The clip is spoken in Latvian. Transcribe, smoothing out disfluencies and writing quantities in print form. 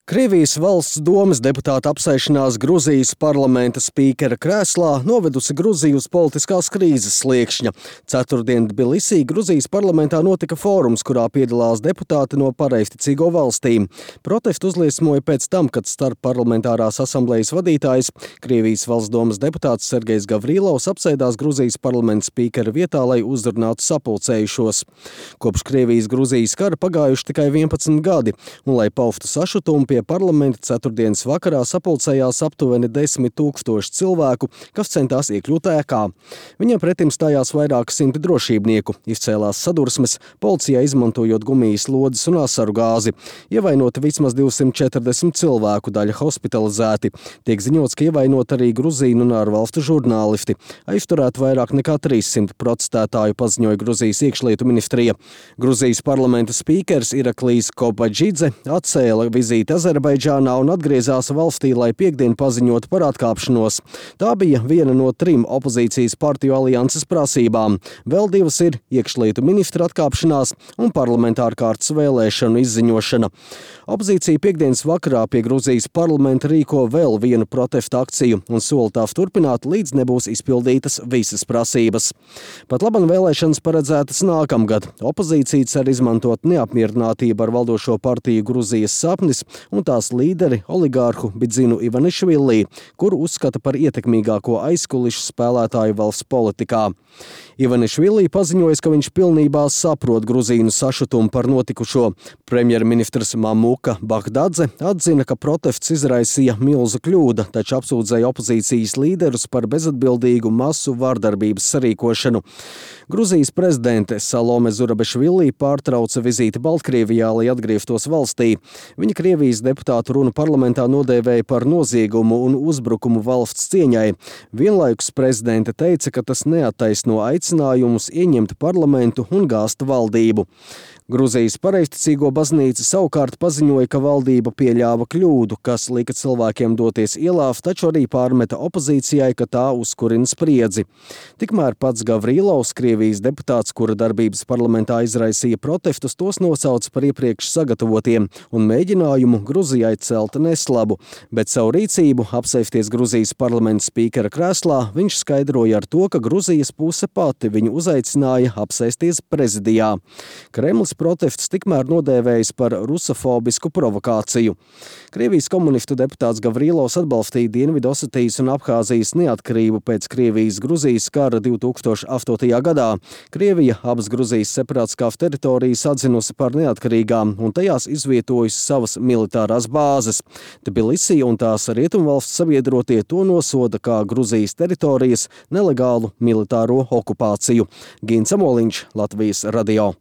Krievijas valsts domes deputāta apsēšanās Gruzijas parlamenta spīkera krēslā novedusi Gruziju uz politiskās krīzes sliekšņa. Ceturtdien Tbilisī Gruzijas parlamentā notika fórums, kurā piedalās deputāti no pareizticīgo valstīm. Protestu uzliesmoja pēc tam, kad starpparlamentārās asamblejas vadītājs, Krievijas valsts domes deputāts Sergejs Gavrilovs apsēdās Gruzijas parlamenta spīkera vietā, lai uzrunātu sapulcējušos. Kopš Krievijas-Gruzijas kara pagājuši tikai 11 gadi, un lai paustu sašutumu pie parlamenta ceturtdienas vakarā sapulcējās aptuveni 10 000 cilvēku, kas centās iekļūt ēkā. Viņiem pretim stājās vairāki simti drošībnieku, izcēlās sadursmes, policijā izmantojot gumijas lodes un asaru gāzi. Ievainoti vismaz 240 cilvēku, daļa hospitalizēti. Tiek ziņots, ka ievainot arī gruzīnu un ārvalstu žurnālisti. Aizturēt vairāk nekā 300 protestētāju, paziņoja Gruzijas iekšlietu ministrija. Gruzijas parlamenta spīkers Iraklijs Kobadžidze atcēla vizīti Azerbaidžānā un atgriezās valstī, lai piekdien paziņotu par atkāpšanos. Tā bija viena no 3 opozīcijas partiju alianses prasībām. Vēl 2 ir iekšlietu ministra atkāpšanās un parlamentāra kārtas vēlēšanu izziņošana. Opozīcija piekdienas vakarā pie Gruzijas parlamenta rīko vēl vienu protesta akciju un sola tās turpināt, līdz nebūs izpildītas visas prasības. Pat laban vēlēšanas paredzētas nākamgad. Opozīcija cer izmantot neapmierinātību ar valdošo partiju Gruzijas sapnis un tās līderi oligārhu Bidzinu Ivanišvili, kuru uzskata par ietekmīgāko aizkulišu spēlētāju valsts politikā. Ivanišvili paziņoja, ka viņš pilnībā saprot gruzīnu sašutumu par notikušo. Premjerministrs Mamuka Bahdadze atzina, ka protests izraisīja milzu kļūda, taču apsūdzēja opozīcijas līderus par bezatbildīgu masu vardarbības sarīkošanu. Gruzijas prezidente Salome Zurabešvili pārtrauca vizīti Baltkrievijā, lai atgrieztos valstī. Viņa Krievijas deputātu runu parlamentā nodēvēja par noziegumu un uzbrukumu valsts cieņai. Vienlaikus prezidente teica, ka tas neattaisno aicinājumus ieņemt parlamentu un gāzt valdību. Gruzijas pareizticīgo baznīca savukārt paziņoja, ka valdība pieļāva kļūdu, kas lika cilvēkiem doties ielās, taču arī pārmeta opozīcijai, ka tā uzkurina spriedzi. Tikmēr pats Gavrilovs, Krievijas deputāts, kura darbības parlamentā izraisīja protestus, tos nosauc par iepriekš sagatavotiem un mēģinājumu Gruzijai celt neslabu, bet savu rīcību apsēsties Gruzijas parlamenta spīkera krēslā viņš skaidroja ar to, ka Gruzijas puse pati viņu uzaicināja apsēsties prezidijā. Kremlis protests tikmēr nodēvējis par rusofobisku provokāciju. Krievijas komunistu deputāts Gavrilovs atbalstīja Dienvidosetijas un Abhāzijas neatkarību pēc Krievijas-Gruzijas kara 2008. gadā. Krievija abas Gruzijas separātiskās teritorijas atzinusi par neatkarīgām un tajās izvietojusi savas militārās bāzes. Tbilisī un tās rietumvalsts sabiedrotie to nosoda kā Gruzijas teritorijas nelegālu militāro okupāciju. Gins Amoliņš, Latvijas radio.